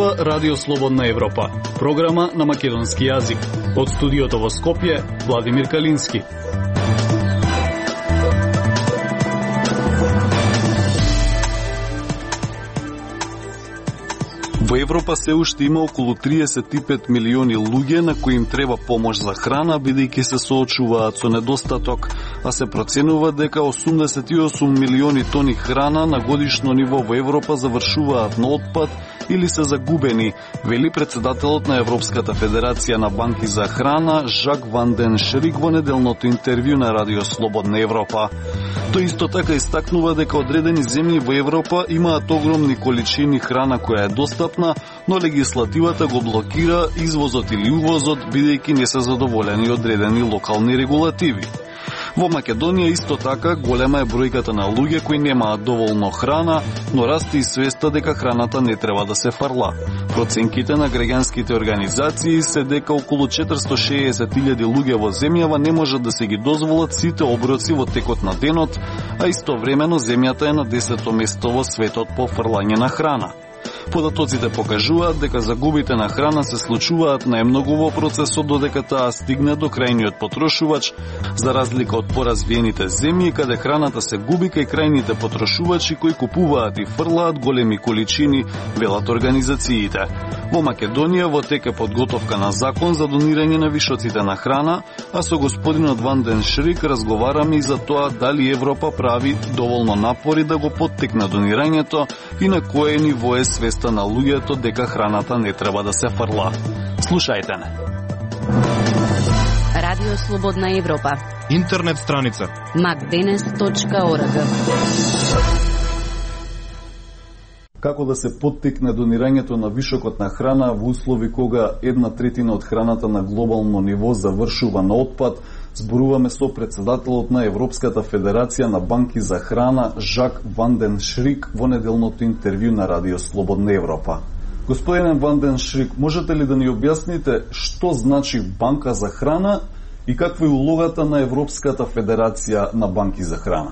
слуша Радио Слободна Европа, програма на македонски јазик. Од студиото во Скопје, Владимир Калински. Во Европа се уште има околу 35 милиони луѓе на кои им треба помош за храна, бидејќи се соочуваат со недостаток, а се проценува дека 88 милиони тони храна на годишно ниво во Европа завршуваат на отпад или се загубени, вели председателот на Европската федерација на банки за храна Жак Ван ден Шрик во неделното интервју на Радио Слободна Европа. Тој исто така истакнува дека одредени земји во Европа имаат огромни количини храна која е достапна, но легислативата го блокира извозот или увозот, бидејќи не се задоволени одредени локални регулативи. Во Македонија исто така голема е бројката на луѓе кои немаат доволно храна, но расте и свеста дека храната не треба да се фарла. Проценките на граѓанските организации се дека околу 460.000 луѓе во земјава не можат да се ги дозволат сите оброци во текот на денот, а истовремено земјата е на 10-то место во светот по фрлање на храна. Податоците покажуваат дека загубите на храна се случуваат најмногу во процесот додека таа стигне до крајниот потрошувач, за разлика од поразвиените земји каде храната се губи кај крајните потрошувачи кои купуваат и фрлаат големи количини, велат организациите. Во Македонија во тек е подготовка на закон за донирање на вишоците на храна, а со господинот Ван ден Шрик разговараме и за тоа дали Европа прави доволно напори да го поттикне донирањето и на кое ниво е свеста на луѓето дека храната не треба да се фрла. Слушајте не. Радио Слободна Европа. Интернет страница macdenes.org. Како да се поттикне донирањето на вишокот на храна во услови кога 1/3 од храната на глобално ниво завршува на отпад, зборуваме со председателот на Европската федерација на банки за храна Жак Ван ден Шрик во неделното интервју на Радио Слободна Европа. Господине Ван ден Шрик, можете ли да ни објасните што значи банка за храна и каква е улогата на Европската федерација на банки за храна?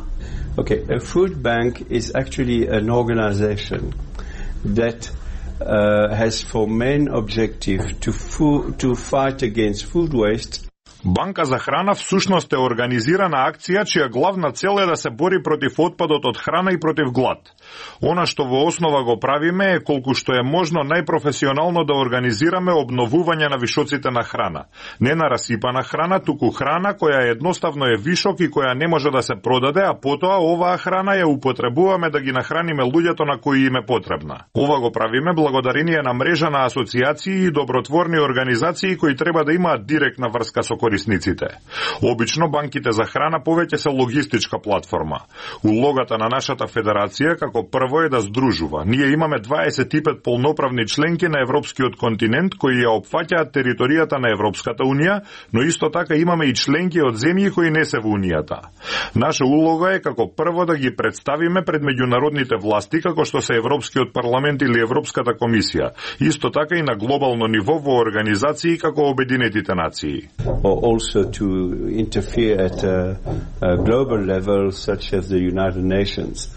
Okay, a food bank is actually an organization that has for main objective to fight against food waste. Банка за храна всушност е организирана акција чија главна цел е да се бори против отпадот од храна и против глад. Она што во основа го правиме е колку што е можно најпрофесионално да организираме обновување на вишоците на храна. Не на расипана храна, туку храна која едноставно е вишок и која не може да се продаде, а потоа оваа храна ја употребуваме да ги нахраниме луѓето на кои им е потребна. Ова го правиме благодарение на мрежа на асоциации и добротворни организации кои треба да имаат директна врска со корисниците. Обично банките за храна повеќе се логистичка платформа. Улогата на нашата федерација како прво е да здружува. Ние имаме 25 полноправни членки на европскиот континент кои ја опфаќаат територијата на Европската унија, но исто така имаме и членки од земји кои не се во унијата. Наша улога е како прво да ги представиме пред меѓународните власти како што се Европскиот парламент или Европската комисија, исто така и на глобално ниво во организации како Обединетите нации. Also to interfere at a global level such as the United Nations.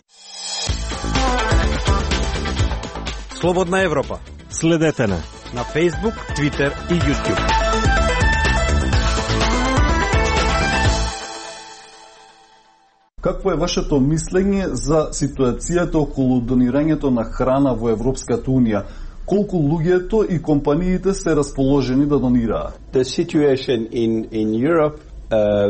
Слободна Европа. Следете на Facebook, Twitter и YouTube. Какво е вашето мислење за ситуацијата околу донирањето на храна во Европската унија? Колку луѓето и компаниите се расположени да донираат? The situation in Europe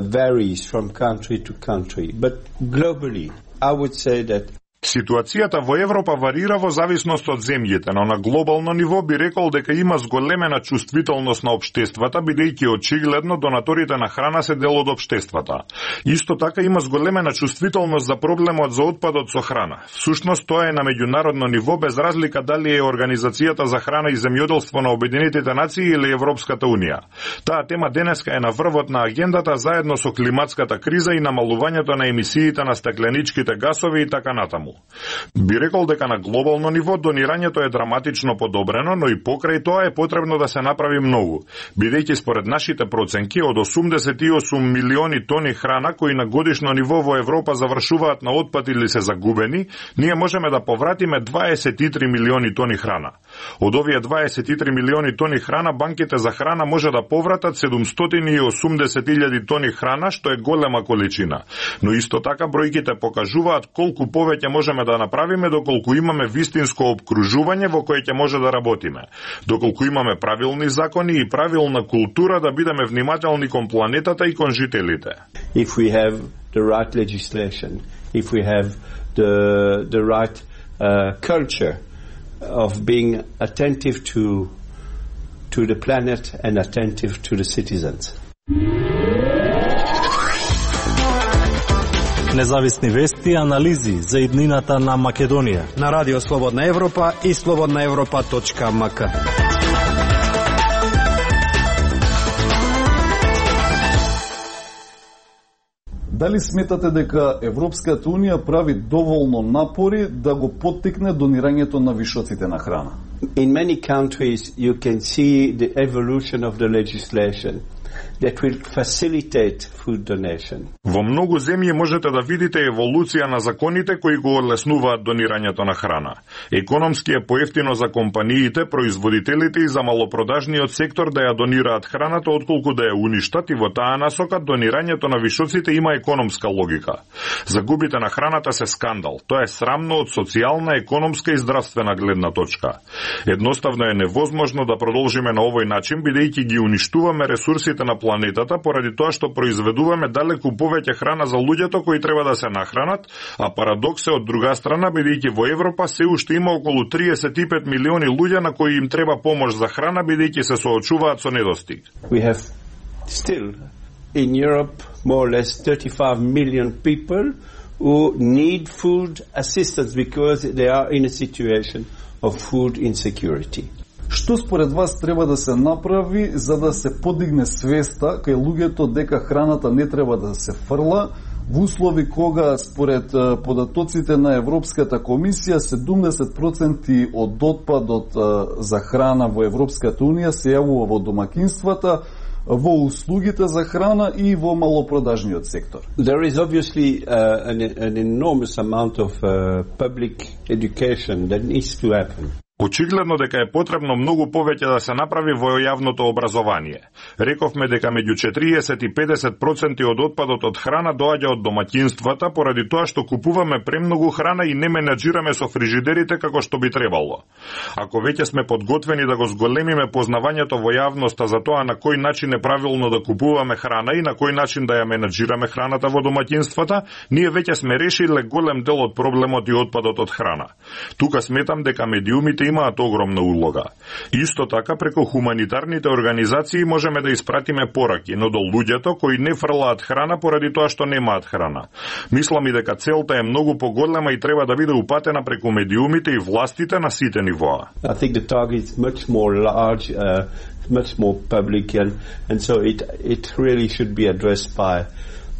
varies from country to country, but globally I would say that Ситуацијата во Европа варира во зависност од земјите, но на глобално ниво би рекол дека има зголемена чувствителност на општествата, бидејќи очигледно донаторите на храна се дел од општествата. Исто така има зголемена чувствителност за проблемот за отпадот со храна. Всушност тоа е на меѓународно ниво без разлика дали е Организацијата за храна и земјоделство на Обединетите нации или Европската унија. Таа тема денеска е на врвот на агендата заедно со климатската криза и намалувањето на емисиите на стакленичките гасови и така натаму. таму. Би рекол дека на глобално ниво донирањето е драматично подобрено, но и покрај тоа е потребно да се направи многу, бидејќи според нашите проценки од 88 милиони тони храна кои на годишно ниво во Европа завршуваат на отпад или се загубени, ние можеме да повратиме 23 милиони тони храна. Од овие 23 милиони тони храна, банките за храна може да повратат 780.000 тони храна, што е голема количина. Но исто така бројките покажуваат колку повеќе можеме да направиме доколку имаме вистинско обкружување во кое ќе може да работиме. Доколку имаме правилни закони и правилна култура да бидеме внимателни кон планетата и кон жителите. If we have the right legislation, if we have the right culture of being attentive to the planet and attentive to the citizens. Независни вести и анализи за иднината на Македонија на Радио Слободна Европа и slobodnaevropa.mk. Дали сметате дека Европската Унија прави доволно напори да го поттикне донирањето на вишоците на храна? In many countries you can see the evolution of the legislation that will facilitate food donation. Во многу земји можете да видите еволуција на законите кои го олеснуваат донирањето на храна. Економски е поевтино за компаниите, производителите и за малопродажниот сектор да ја донираат храната отколку да ја уништат, и во таа насока донирањето на вишоците има економска логика. Загубите на храната се скандал. Тоа е срамно од социјална, економска и здравствена гледна точка. Едноставно е невозможно да продолжиме на овој начин, бидејќи ги уништуваме ресурсите на планетата поради тоа што произведуваме далеку повеќе храна за луѓето кои треба да се нахранат, а парадокс е од друга страна, бидејќи во Европа се уште има околу 35 милиони луѓе на кои им треба помош за храна, бидејќи се соочуваат со недостиг. We have still in Europe more or less 35 million people who need food assistance because they are in a situation of food insecurity. Што според вас треба да се направи за да се подигне свеста кај луѓето дека храната не треба да се фрла, во услови кога според податоците на Европската комисија 70% од отпадот за храна во Европската Унија се јавува во домакинствата, во услугите за храна и во малопродажниот сектор? There is obviously an enormous amount of public education that needs to happen. Очигледно дека е потребно многу повеќе да се направи во јавното образование. Рековме дека меѓу 40 и 50% од отпадот од храна доаѓа од домаќинствата поради тоа што купуваме премногу храна и не менаџираме со фрижидерите како што би требало. Ако веќе сме подготвени да го зголемиме познавањето во јавноста за тоа на кој начин е правилно да купуваме храна и на кој начин да ја менаџираме храната во домаќинствата, ние веќе сме решиле голем дел од проблемот и отпадот од храна. Тука сметам дека медиумите имаат огромна улога. Исто така, преку хуманитарните организации можеме да испратиме пораки, но до луѓето кои не фрлаат храна поради тоа што немаат храна. Мислам и дека целта е многу поголема и треба да биде упатена преку медиумите и властите на сите нивоа. I think the target is much more large, much more public, and so it really should be addressed by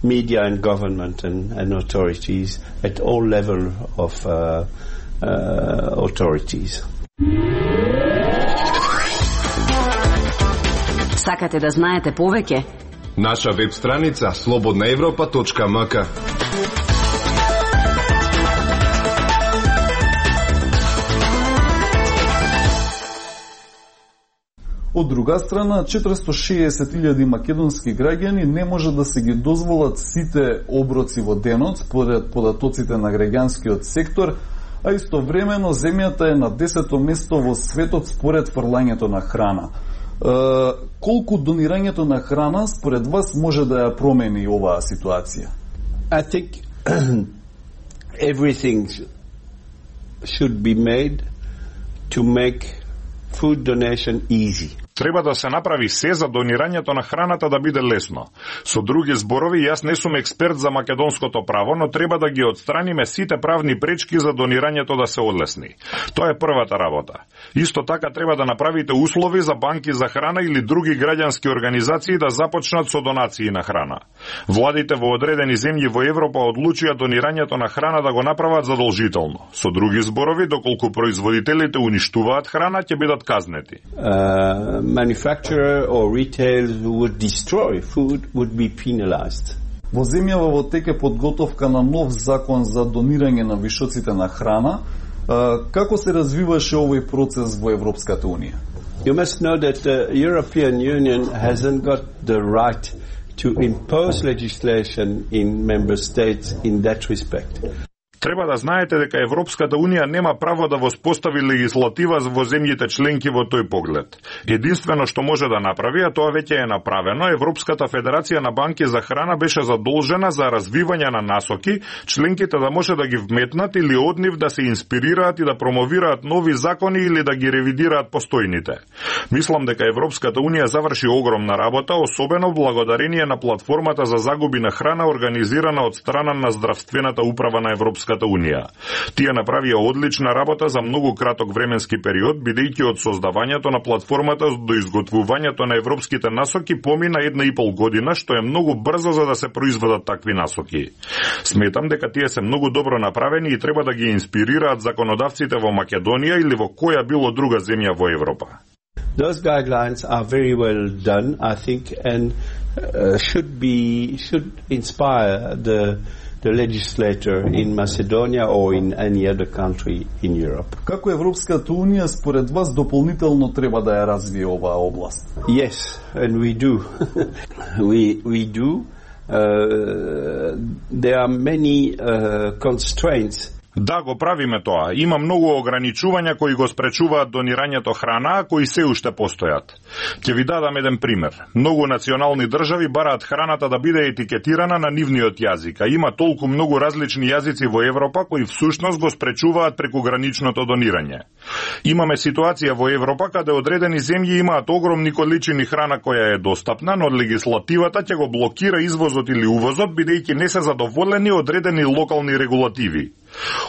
media and government and authorities at all level of authorities. Сакате да знаете повеќе? Наша веб страница slobodnaevropa.mk. Од друга страна, 460.000 македонски граѓани не може да се ги дозволат сите оброци во денот според податоците на граѓанскиот сектор, а истовремено земјата е на 10-то место во светот според фрлањето на храна. Колку донирањето на храна според вас може да ја промени оваа ситуација? I think everything should be made to make food donation easy. Треба да се направи се за донирањето на храната да биде лесно. Со други зборови, јас не сум експерт за македонското право, но треба да ги отстраниме сите правни пречки за донирањето да се одлесни. Тоа е првата работа. Исто така треба да направите услови за банки за храна или други граѓански организации да започнат со донации на храна. Владите во одредени земји во Европа одлучија донирањето на храна да го направат задолжително. Со други зборови, доколку производителите уништуваат храна, ќе бидат казнети. Manufacturer or retail who would destroy food would be penalized. Во земјава во тек е подготовка на нов закон за донирање на вишоците на храна. Како се развиваше овој процес во Европската Унија? You must know that the European Union hasn't got the right to impose legislation in member states in that respect. Треба да знаете дека Европската Унија нема право да воспостави легислатива во земјите членки во тој поглед. Единствено што може да направи, а тоа веќе е направено, Европската Федерација на банки за храна беше задолжена за развивање на насоки, членките да може да ги вметнат или од нив да се инспирираат и да промовираат нови закони или да ги ревидираат постојните. Мислам дека Европската Унија заврши огромна работа, особено благодарение на платформата за загуби на храна организирана од страна на Здравствената управа на Европската Унија. Тие направија одлична работа за многу краток временски период, бидејќи од создавањето на платформата до изготвувањето на европските насоки помина 1,5 година, што е многу брзо за да се произведат такви насоки. Сметам дека тие се многу добро направени и треба да ги инспирираат законодавците во Македонија или во која било друга земја во Европа. Those guidelines are very well done, I think, and should inspire the legislator in Macedonia or in any other country in Europe. Како Европската Унија според вас дополнително треба да ја развие оваа област? Yes, and we do. we do. There are many constraints. Да, го правиме тоа. Има многу ограничувања кои го спречуваат донирањето храна, а кои се уште постојат. Ќе ви дадам еден пример. Многу национални држави бараат храната да биде етикетирана на нивниот јазик, а има толку многу различни јазици во Европа кои всушност го спречуваат прекуграничното донирање. Имаме ситуација во Европа каде одредени земји имаат огромни количини храна која е достапна, но легислативата ќе го блокира извозот или увозот бидејќи не се задоволени одредени локални регулативи.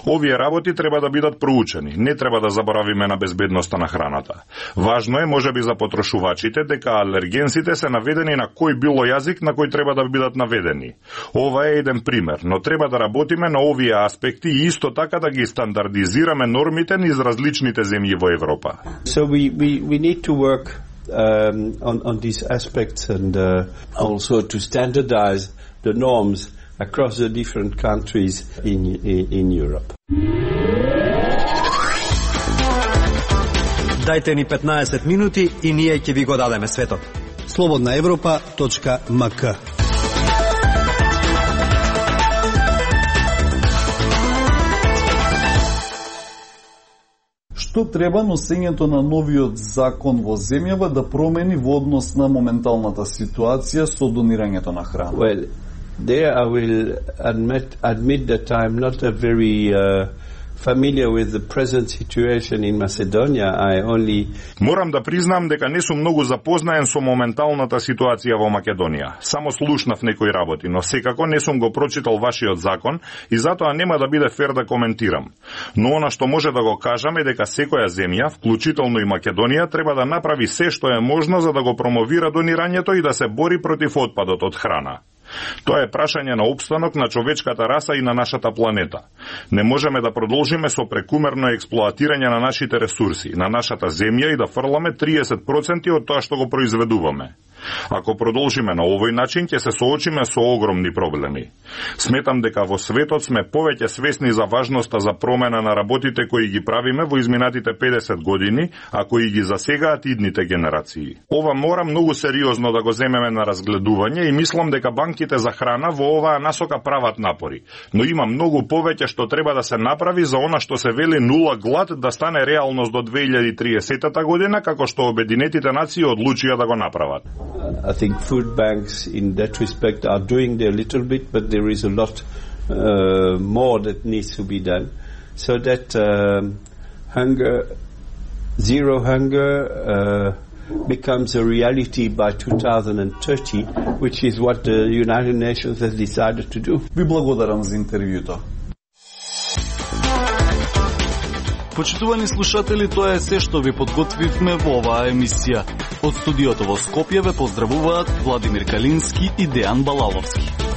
Овие работи треба да бидат проучени. Не треба да заборавиме на безбедноста на храната. Важно е, можеби за потрошувачите, дека алергенсите се наведени на кој било јазик на кој треба да бидат наведени. Ова е еден пример, но треба да работиме на овие аспекти и исто така да ги стандардизираме нормите низ различните земји во Европа. So we need to work on these aspects and also to standardize the norms across the different countries in Europe. Дајте ни 15 минути и ние ќе ви го дадеме светот. slobodnaevropa.mk. Што треба носењето на новиот закон во земјава да промени во однос на моменталната ситуација со донирањето на храна? Well, there I will admit that I'm not a very familiar with the present situation in Macedonia. I only Морам да признам дека не сум многу запознаен со моменталната ситуација во Македонија. Само слушнав некои работи, но секако не сум го прочитал вашиот закон и затоа нема да биде фер да коментирам. Но она што може да го кажам е дека секоја земја, вклучително и Македонија, треба да направи се што е можно за да го промовира донирањето и да се бори против отпадот од храна. Тоа е прашање на опстанок на човечката раса и на нашата планета. Не можеме да продолжиме со прекумерно експлоатирање на нашите ресурси, на нашата земја и да фрламе 30% од тоа што го произведуваме. Ако продолжиме на овој начин, ќе се соочиме со огромни проблеми. Сметам дека во светот сме повеќе свесни за важноста за промена на работите кои ги правиме во изминатите 50 години, а кои ги засегаат идните генерации. Ова мора многу сериозно да го земеме на разгледување и мислам дека банките за храна во оваа насока прават напори. Но има многу повеќе што треба да се направи за она што се вели нула глад да стане реалност до 2030 година, како што Обединетите нации одлучија да го направат. I think food banks in that respect are doing their little bit, but there is a lot more that needs to be done so that zero hunger becomes a reality by 2030, which is what the United Nations has decided to do. Ви благодарам за интервјуто. Почитувани слушатели, тоа е се што ви подготвивме во оваа емисија. Од студиото во Скопје ве поздравуваат Владимир Калински и Дејан Балаловски.